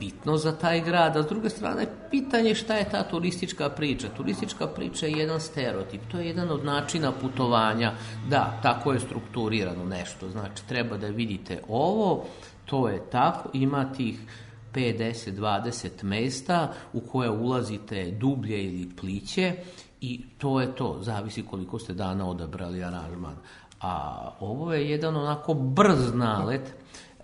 bitno za taj grad, a s druge strane pitanje šta je ta turistička priča. Turistička priča je jedan stereotip, to je jedan od načina putovanja, da, tako je strukturirano nešto, znači treba da vidite ovo, to je tako, ima tih pet, deset, dvadeset mesta u koje ulazite dublje ili pliće i to je to, zavisi koliko ste dana odabrali aranžman. A ovo je jedan onako brz nalet,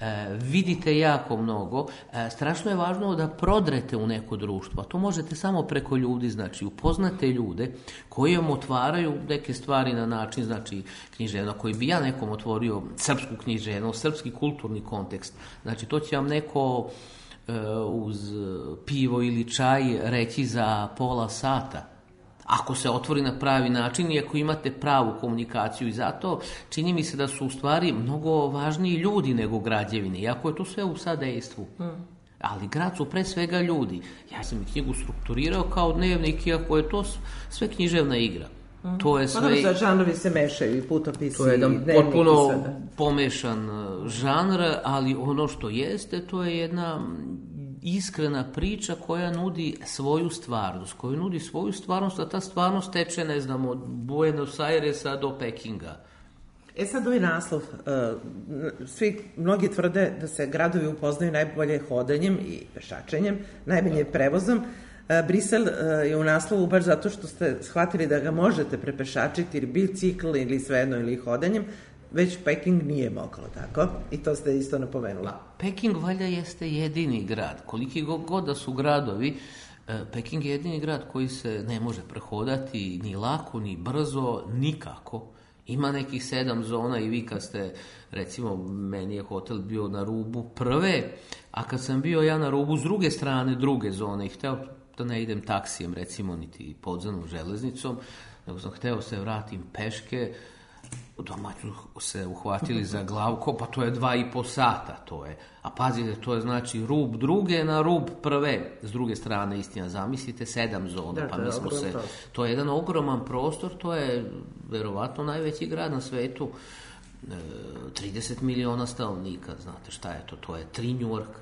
E, vidite jako mnogo, e, strašno je važno da prodrete u neko društvo, a to možete samo preko ljudi, znači upoznate ljude koji vam otvaraju neke stvari na način, znači književno, koji bi ja nekom otvorio srpsku književno, srpski kulturni kontekst, znači to će vam neko e, uz pivo ili čaj reći za pola sata. Ako se otvori na pravi način i ako imate pravu komunikaciju i zato čini mi se da su u stvari mnogo važniji ljudi nego građevine, iako je to sve u sadejstvu. Mm. Ali grad su pre svega ljudi. Ja sam i knjigu strukturirao kao dnevnik, iako je to sve književna igra. To je sve... Pa dobro, žanrovi se mešaju i putopisi. To je jedan potpuno pomešan žanr, ali ono što jeste, to je jedna iskrena priča koja nudi svoju stvarnost, koja nudi svoju stvarnost, a ta stvarnost teče, ne znam, od Buenos Airesa do Pekinga. E sad ovaj naslov, svi, mnogi tvrde da se gradovi upoznaju najbolje hodanjem i pešačenjem, najbolje prevozom. Brisel je u naslovu baš zato što ste shvatili da ga možete prepešačiti ili bicikl ili svejedno ili hodanjem, već Peking nije moglo, tako? I to ste isto napomenuli. Peking valjda jeste jedini grad. Koliki god da su gradovi, Peking je jedini grad koji se ne može prehodati ni lako, ni brzo, nikako. Ima nekih sedam zona i vi kad ste, recimo, meni je hotel bio na rubu prve, a kad sam bio ja na rubu s druge strane druge zone i hteo da ne idem taksijem, recimo, niti podzemnom železnicom, nego sam hteo se vratim peške, domaću se uhvatili za glavko, pa to je dva i po sata, to je. A pazite, to je znači rub druge na rub prve, s druge strane, istina, zamislite, sedam zona, da, pa mi smo se... To je jedan ogroman prostor, to je verovatno najveći grad na svetu, e, trideset miliona stanovnika, znate šta je to, to je tri Njujorka.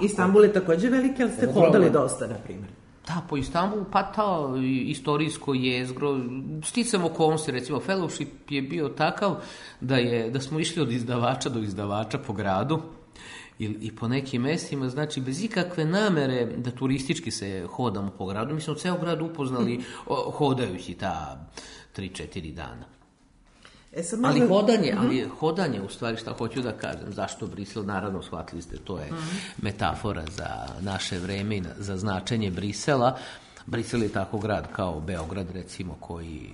Istanbul je takođe veliki, ali ste hodali dosta, na primjer. Da, po Istanbulu, pa ta istorijsko jezgro, sticam okolnosti, recimo, fellowship je bio takav da, je, da smo išli od izdavača do izdavača po gradu i, i po nekim mestima, znači, bez ikakve namere da turistički se hodamo po gradu. Mi smo ceo grad upoznali o, hodajući ta tri četiri dana. E sad ali možda... hodanje, uh-huh. ali hodanje, u stvari, šta hoću da kažem, zašto Brisel, naravno, shvatili ste, to je uh-huh. metafora za naše vreme i za značenje Brisela. Brisel je tako grad kao Beograd, recimo, koji...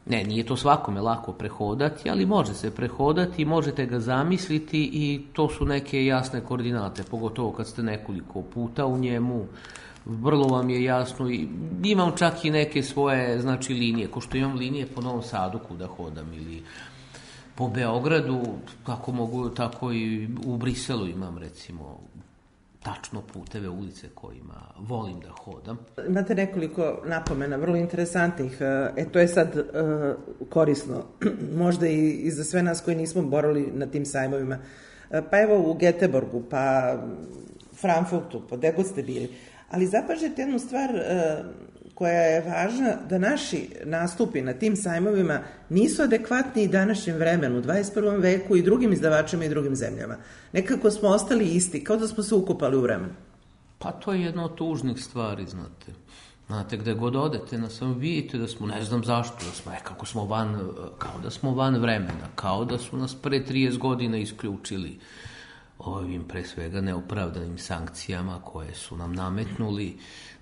Ne, nije to svakome lako prehodati, ali može se prehodati, možete ga zamisliti i to su neke jasne koordinate, pogotovo kad ste nekoliko puta u njemu. Vrlo vam je jasno i imam čak i neke svoje, znači, linije, ko što imam linije po Novom Sadu kuda hodam ili po Beogradu, kako mogu, tako i u Briselu imam, recimo, tačno puteve, ulice kojima volim da hodam. Imate nekoliko napomena, vrlo interesantnih, e, to je sad e, korisno, možda i, i za sve nas koji nismo borali na tim sajmovima. E, pa evo u Göteborgu, pa Frankfurtu, pa gde god ste bili. Ali zapažete jednu stvar e, koja je važna, da naši nastupi na tim sajmovima nisu adekvatni i današnjem vremenu, u dvadeset prvom veku i drugim izdavačima i drugim zemljama. Nekako smo ostali isti, kao da smo se ukupali u vremenu. Pa to je jedna od tužnih stvari, znate. Znate, gde god odete, na sam vidite da smo, ne znam zašto, da smo, e, kako smo van, kao da smo van vremena, kao da su nas pre trideset godina isključili ovim pre svega neopravdanim sankcijama koje su nam nametnuli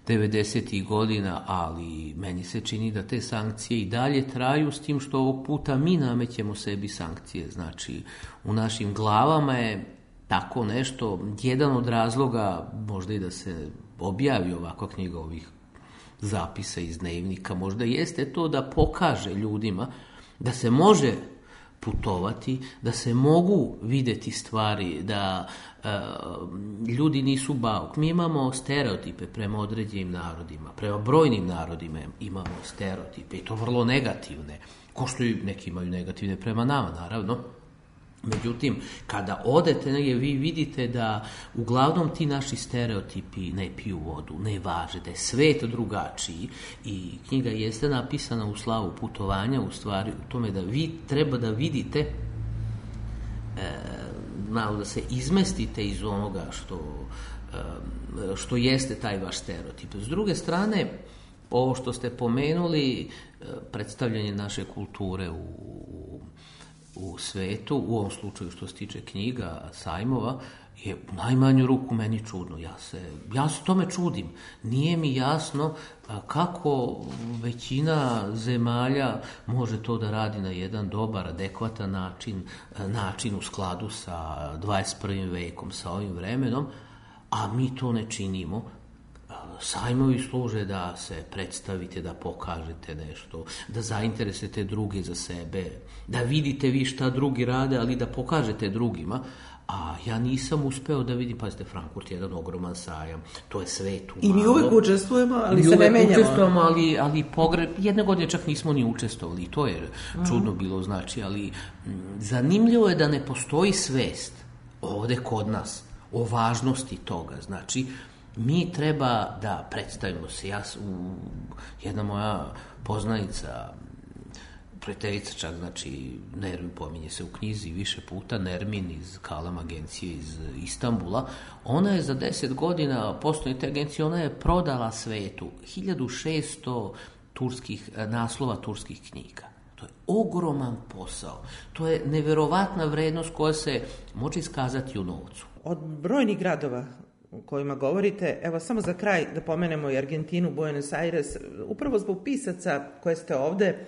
devedesetih godina, ali meni se čini da te sankcije i dalje traju, s tim što ovog puta mi namećemo sebi sankcije. Znači, u našim glavama je tako nešto, jedan od razloga, možda i da se objavi ovakva knjiga ovih zapisa iz dnevnika, možda jeste to da pokaže ljudima da se može putovati, da se mogu videti stvari, da e, ljudi nisu bauk. Mi imamo stereotipe prema određenim narodima, prema brojnim narodima imamo stereotipe i to vrlo negativne, ko što i neki imaju negativne prema nama, naravno. Međutim, kada odete negdje, vi vidite da uglavnom ti naši stereotipi ne piju vodu, ne važe, da je svet drugačiji i knjiga jeste napisana u slavu putovanja, u stvari u tome da vi treba da vidite, e, malo da se izmestite iz onoga što, e, što jeste taj vaš stereotip. S druge strane, ovo što ste pomenuli, e, predstavljanje naše kulture u u svetu, u ovom slučaju što se tiče knjiga, sajmova, je u najmanju ruku meni čudno. Ja se, ja se tome čudim. Nije mi jasno kako većina zemalja može to da radi na jedan dobar, adekvatan način, način u skladu sa dvadeset prvim vekom, sa ovim vremenom, a mi to ne činimo. sajmovi služe da se predstavite, da pokažete nešto, da zainteresujete druge za sebe, da vidite vi šta drugi rade, ali da pokažete drugima. A ja nisam uspeo da vidim, pazite, Frankfurt je jedan ogroman sajam, to je sve tu malo. I mi uvek učestvujemo, ali se ne menjamo. Učestvujemo, ali, ali pogre... jedne godine čak nismo ni učestvovali, to je čudno bilo, znači, ali m, zanimljivo je da ne postoji svest ovde kod nas o važnosti toga, znači, mi treba da predstavimo se. Ja, u, jedna moja poznanica, prijateljica čak, znači, Nermin pominje se u knjizi više puta, Nermin iz Kalam agencije iz Istanbula, ona je za deset godina postojanja te agencije, ona je prodala svetu hiljadu šesto turskih, naslova turskih knjiga. To je ogroman posao. To je neverovatna vrednost koja se može iskazati u novcu. Od brojnih gradova o kojima govorite, evo samo za kraj da pomenemo i Argentinu, Buenos Aires, upravo zbog pisaca koje ste ovde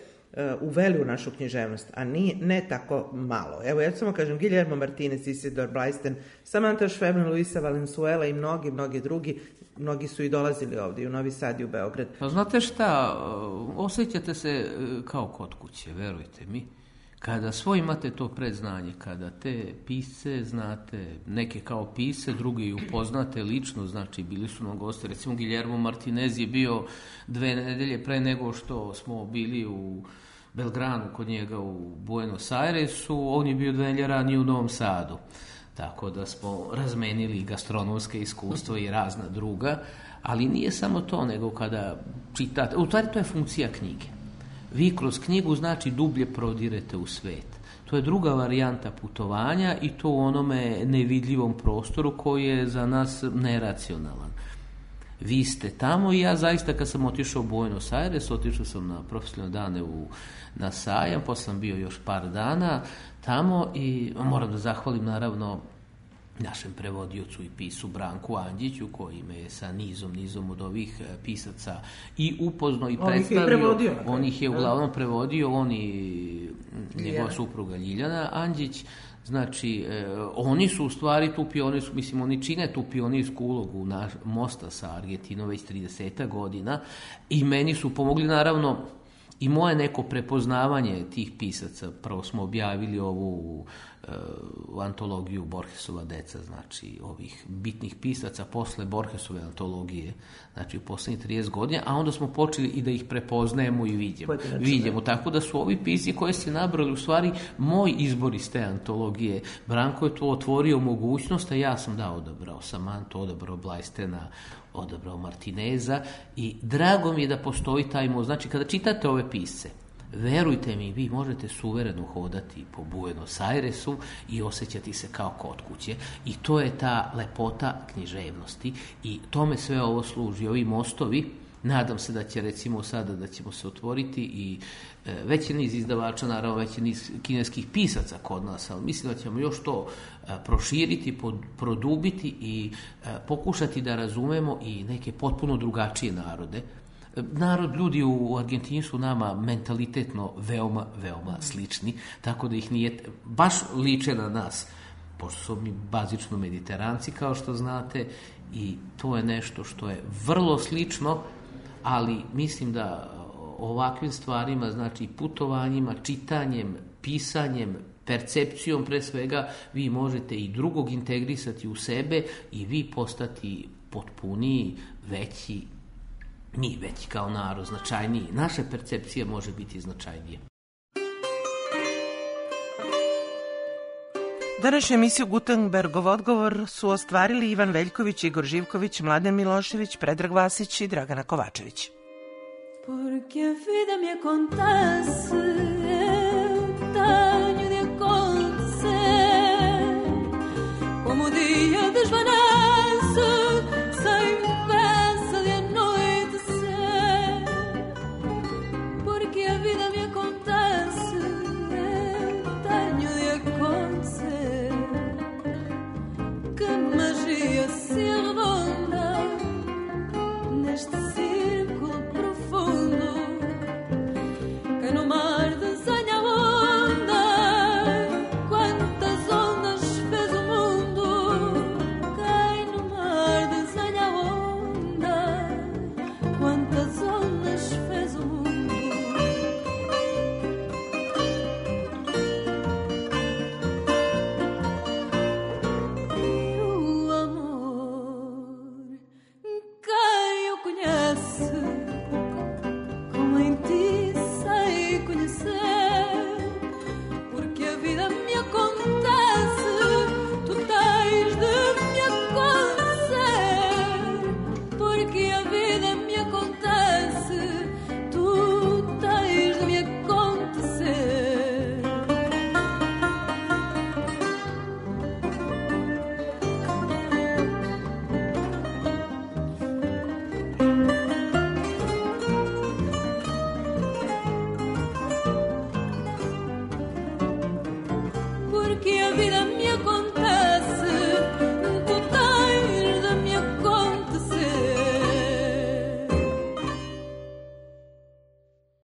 uveli u našu književnost, a nije, ne tako malo. Evo, ja samo kažem, Guillermo Martinez, Isidor Blaisten, Samantha Schweblin, Luisa Valenzuela i mnogi, mnogi drugi, mnogi su i dolazili ovdje, i u Novi Sad i u Beograd. Pa znate šta, osjećate se kao kod kuće, verujte mi. Kada svoj imate to predznanje, kada te pisce znate, neke kao pisce, drugi upoznate lično, znači bili su nam goste, recimo Guillermo Martinez je bio dve nedelje pre nego što smo bili u Belgranu kod njega u Buenos Airesu, on je bio dve nedelje ranije u Novom Sadu, tako da smo razmenili gastronomske iskustva i razna druga, ali nije samo to, nego kada čitate, u stvari to je funkcija knjige. Vi kroz knjigu, znači, dublje prodirete u svet. To je druga varijanta putovanja i to u onome nevidljivom prostoru koji je za nas neracionalan. Vi ste tamo i ja zaista kad sam otišao u Buenos Aires, otišao sam na profesionalne dane u, na sajam, posle sam bio još par dana tamo i moram da zahvalim naravno našem prevodiocu i pisu Branku Andjiću, koji me je sa nizom, nizom od ovih pisaca i upoznao i predstavio. On ih je uglavnom prevodio, on i njegova supruga Ljiljana Andjić. Znači, eh, oni su u stvari tu pionirsku, mislim, oni čine tu pionirsku ulogu na mosta sa Argentinom već trideset godina i meni su pomogli, naravno, i moje neko prepoznavanje tih pisaca. Prvo smo objavili ovu e, antologiju Borgesova deca, znači ovih bitnih pisaca posle Borgesove antologije, znači u poslednjih trideset godina, a onda smo počeli i da ih prepoznajemo i vidimo. Vidimo, tako da su ovi pisci koje ste nabrali u stvari moj izbor iz te antologije. Branko je to otvorio mogućnost, a ja sam da odabrao Samantu, odabrao Blajstena, odabrao Martineza i drago mi je da postoji taj most. Znači, kada čitate ove pisce, verujte mi, vi možete suvereno hodati po Buenos Airesu i osjećati se kao kod kuće i to je ta lepota književnosti i tome sve ovo služi, ovi mostovi. Nadam se da će, recimo sada da ćemo se otvoriti i e, veći niz izdavača, naravno veći niz kineskih pisaca kod nas, ali mislim da ćemo još to e, proširiti, pod, produbiti i e, pokušati da razumemo i neke potpuno drugačije narode. E, narod, ljudi u Argentini su nama mentalitetno veoma, veoma slični, tako da ih nije, baš liče na nas, pošto su mi bazično mediteranci, kao što znate, i to je nešto što je vrlo slično, ali mislim da ovakvim stvarima, znači putovanjima, čitanjem, pisanjem, percepcijom pre svega, vi možete i drugog integrisati u sebe i vi postati potpuniji, veći, mi veći kao narod, značajniji. Naša percepcija može biti značajnija. Današnju emisiju Gutenbergov odgovor su ostvarili Ivan Veljković, Igor Živković, Mladen Milošević, Predrag Vasić i Dragana Kovačević. Porque a vida me contasse